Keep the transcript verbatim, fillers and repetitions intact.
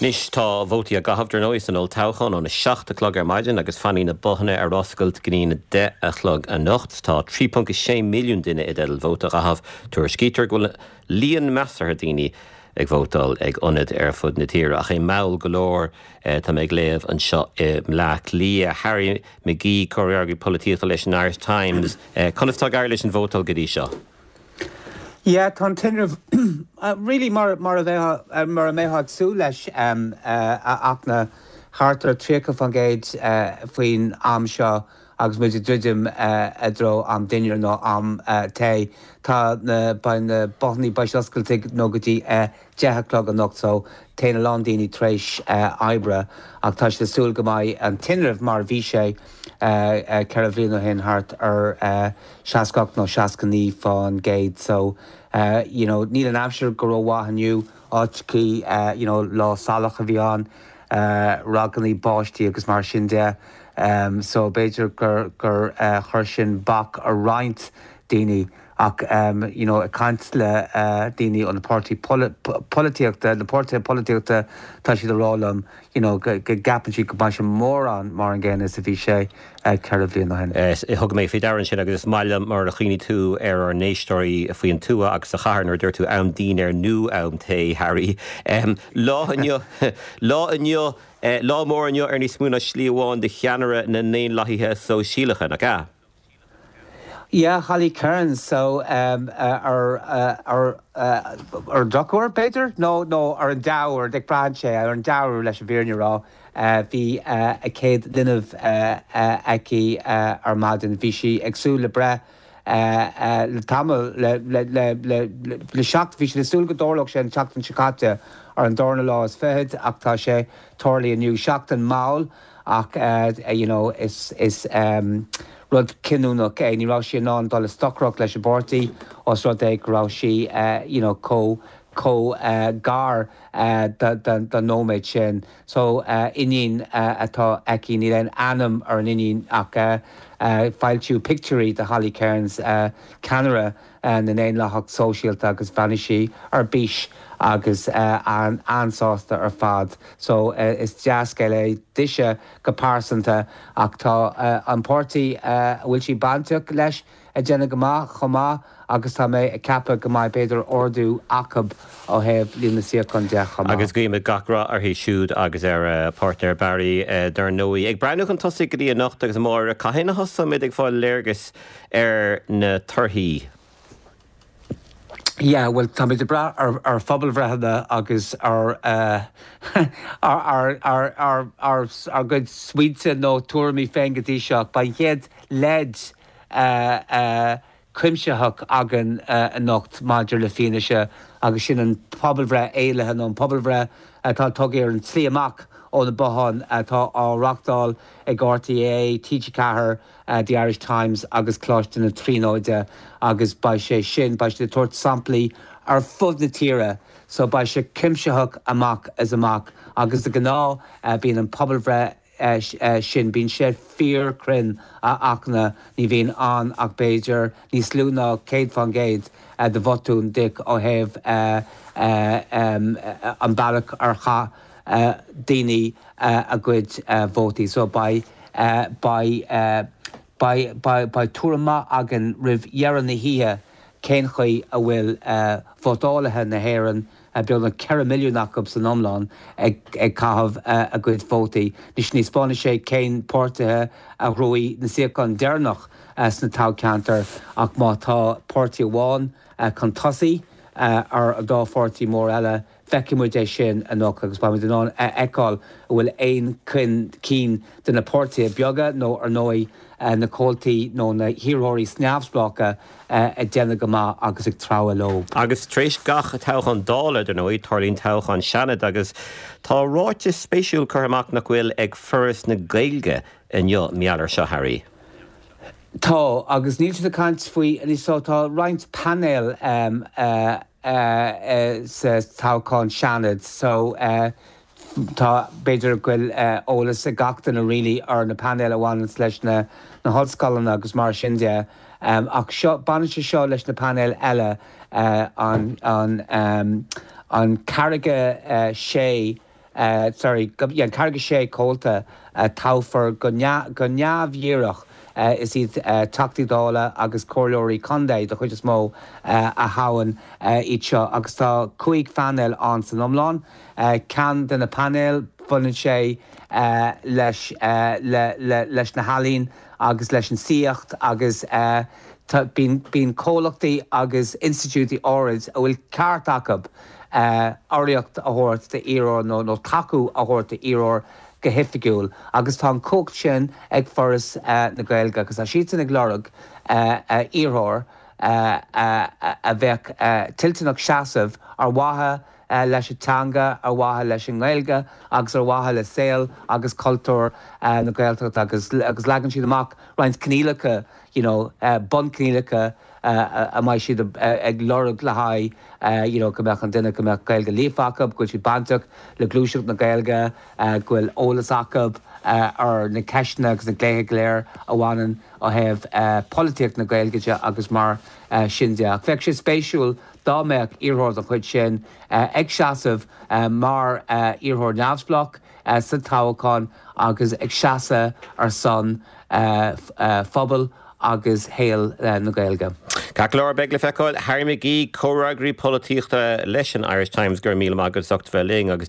Anois tá vótaí á gcaitheamh dar ndóigh san olltoghchán óna seacht a chlog ar maidin agus fanfaidh na bothanna ar oscailt go dtí a deich a chlog anocht. Tá trí ponc sé milliún duine i dteideal vóta a chaitheamh. Tuairiscítear go bhfuil líon measartha daoine ag vótáil ag ionaid ar fud na tíre ach é mall go leor tá mé ag léamh anseo i mBleá Cliath. Harry McGee comhfhreagraí polaitíochta leis an Irish Times. Conas tá ag éirí leis an vótáil go dtí seo? Yeah, tá an tinreamh really mar mar a bheith mar a mbeifeá ag súil leis um, uh, ach na thart ar tríocha faoin gcéad uh, faoin am seo agus muid ag druidim uh, i dtreo am dinnéir nó am uh, tae tá na beidh na bothanna beidh oscailte nó go dtí uh, deich a chlog anocht so téann a lán daoine tar éis uh, oibre ach tá sé súil go mbeidh an tinreamh mar bhí sé uh, uh, ceithre bliana ó shin thart ar uh, seasca nó seasca naoi faoin gcéad so uh, you know, níl an aimsir go rómhaith inniu áiteachaí uh, you know, lá salach a bhí ann uh, raganna báistí agus mar sin de um, so b'fhéidir gur gur uh, chuir sin bac ar roinnt daoine ach um, you know, ag caint le uh, daoine ó na páirtí polaitíochta na páirtithe polaitíochta tá siad ag rá liom you know, go gceapann siad go mbeidh sé mórán mar an gcéanna is a bhí sé uh, ceithre bliana ó shin. Thug mé faoi deara sin agus is maith liom mar a chuimhnigh tú ar ár n-éisteoirí faoin tuath agus sa chathair nuair dúirt tú am dinnéir nó am tae Harry. Um, lá inniu lá inniu uh, lá mór inniu ar níos mó ná slí amháin do cheannaire na nDaonlathaithe Sóisialacha nach ea. Yeah, Holly Cairns so um, uh, ar uh, ar uh, ar drochuair b'fhéidir no no ar an dea-uair de branche ar an dea-uair leis an bhfírinne a rá uh, bhí uh, a céad linbh uh, uh, aici uh, ar maidin bhí sí ag súil le breith uh, uh, le tamall le le le le le seacht bhí sí ag súil go dtarlódh sé an tseachtain seo caite ar an darna lá is fiche ach tá sé tarlaithe inniu seachtain mall ach uh, you know, is is um, rud cinniúnach é ní raibh sí in ann dul i stocaireacht leis an bpáirtí os rud é go raibh sí uh, you know, chomh chomh uh, gar uh, don nóiméad sin. So uh, iníon uh, atá aici níl aon ainm ar an iníon ach uh, uh, foilsíodh pictiúirí de Holly Cairns uh, ceannaire uh, na nDaonlathach Sóisialta agus bhí sí ar bís agus uh, an an-sásta ar fad. So uh, is dea-scéal é dise go pearsanta ach tá uh, an páirtí uh, bhfuil sí bainteach leis ag déanamh go maith chomh maith agus tá mé ag ceapadh go mbeidh b'fhéidir ardú acu ó thaobh líon na suíochán de chomh maith. Agus guímid gach rath uirthi siúd agus ar uh, partner Barry uh, dar ndóigh. Ag breathnú chun tosaigh go dtí anocht agus amárach cathain a thosóimid ag fáil léargas ar na torthaí. Yeah, well tá muid ag brath ar ar phobalbhreitheanna agus ar uh, ar ar ar ar ar ar gcuid smaointe nó tuairimí féin go dtí seo beidh an chéad leid uh, uh, cuimsitheach againn uh, anocht maidir le fianaise agus sin an pobalbhreith éilithe nó an pobalbhreith atá tugtha ar an tslí amach ó na botháin atá á reáchtáil ag RTÉ, TG Ceathair, uh, The Irish Times agus Coláiste na Tríonóide agus beidh sé sin beidh sé ag tabhairt samplaí ar fud na tíre, so beidh sé cuimsitheach amach is amach agus de ghnáth uh, bíonn an pobalbhreith uh, uh, sin bíonn sé fíorchruinn a achna ní bhíonn an ach b'fhéidir níos lú ná céad faoin gcéad uh, de bhotún dik ó thaobh uh, uh, um, uh, an bealach ar chaith uh, daoine uh, a gcuid uh, vótaí so beidh uh, beidh uh, beidh beidh beidh tuairim maith againn roimh dheireadh na hoíche cén chaoi a bhfuil uh, vótálaithe na hÉireann uh, beagnach ceithre milliún acu san iomlán ag, ag caitheamh uh, a gcuid vótaí. Anois ní thaispeánfaidh sé cén páirtithe a ghnóthaigh na suíocháin deireanach uh, sna toghcheantair ach má tá páirtí amháin uh, chun tosaigh uh, ar an dá pháirtí mór eile feicfidh muid é sin anocht agus beimid in ann a fheiceáil an bhfuil aon chun cinn de na páirtithe beaga nó ar ndóigh na comhaltaí nó na hiarrthóirí neamhspleácha ag déanamh go maith agus ag treabhadh leo. Agus tar éis gach toghchán Dála dar ndóigh tarlaíonn toghchán Seanaid agus tá ráiteas spéisiúil curtha amach nach bhfuil ag Foras na Gaeilge inniu mar gheall air seo Harry. Tá agus níl siad ag caint faoi anois so tá roinnt painéal um, uh, uh, uh, sa toghchán Seanaid so uh, tá b'fhéidir go bhfuil uh, eolas ag gach duine really ar na painéil a bhaineann leis na na hollscoileanna agus mar sin de. Um, ach seo baineann sé seo leis na painéil eile uh, an, an, um, an ceathracha uh, sé uh, sorry an ceathracha sé comhalta uh, toghfar go go neamhdhíreach uh, is iad uh, Teachtaí Dála agus comhairleoirí contae den chuid is mó uh, a thoghann uh, iad seo agus tá cúig phainéal ann san iomlán uh, ceann de na painéil baineann sé uh, leis, uh, le, le, leis na healaíona agus leis an saíocht agus uh, bíonn comhlachtaí agus institiúidí áirid a bhfuil ceart acu uh, urraíocht a thabhairt d'iarrthóir nó nó tacú a thabhairt d'iarrthóir go hoifigiúil agus tá an chumhacht sin ag Foras uh, na Gaeilge agus tá siad ag lorg uh, uh, iarrthóir uh, uh, a bheadh uh, toilteanach seasamh ar mhaithe uh, leis an teanga ar mhaithe leis an nGaeilge agus ar mhaithe le saol agus cultúr uh, na Gaeltachta agus agus leagann siad amach roinnt coinníollacha you know, uh, bunchoinníollacha uh, a mbeidh siad ag lorg le haghaidh uh, you know, go mbeadh an duine go mbeadh Gaeilge líofa acu, go bhfuil siad bainteach le gluaiseacht na Gaeilge uh, go bhfuil eolas acu uh, ar na ceisteanna agus na gnéithe go léir a bhaineann ó thaobh uh, polaitíocht na Gaeilge agus mar uh, sin de. Bheadh sé spéisiúil dá mbeadh iarrthóir den chuid sin uh, ag seasamh uh, mar uh, iarrthóir neamhspleách uh, sa toghchán agus ag seasamh ar son uh, uh, phobal agus shaol uh, na Gaeilge. Ceart go leor beidh le feiceáil Harry McGee comhfhreagraí polaitíochta leis an Irish Times gur míle maith agat as ucht bheith linn agus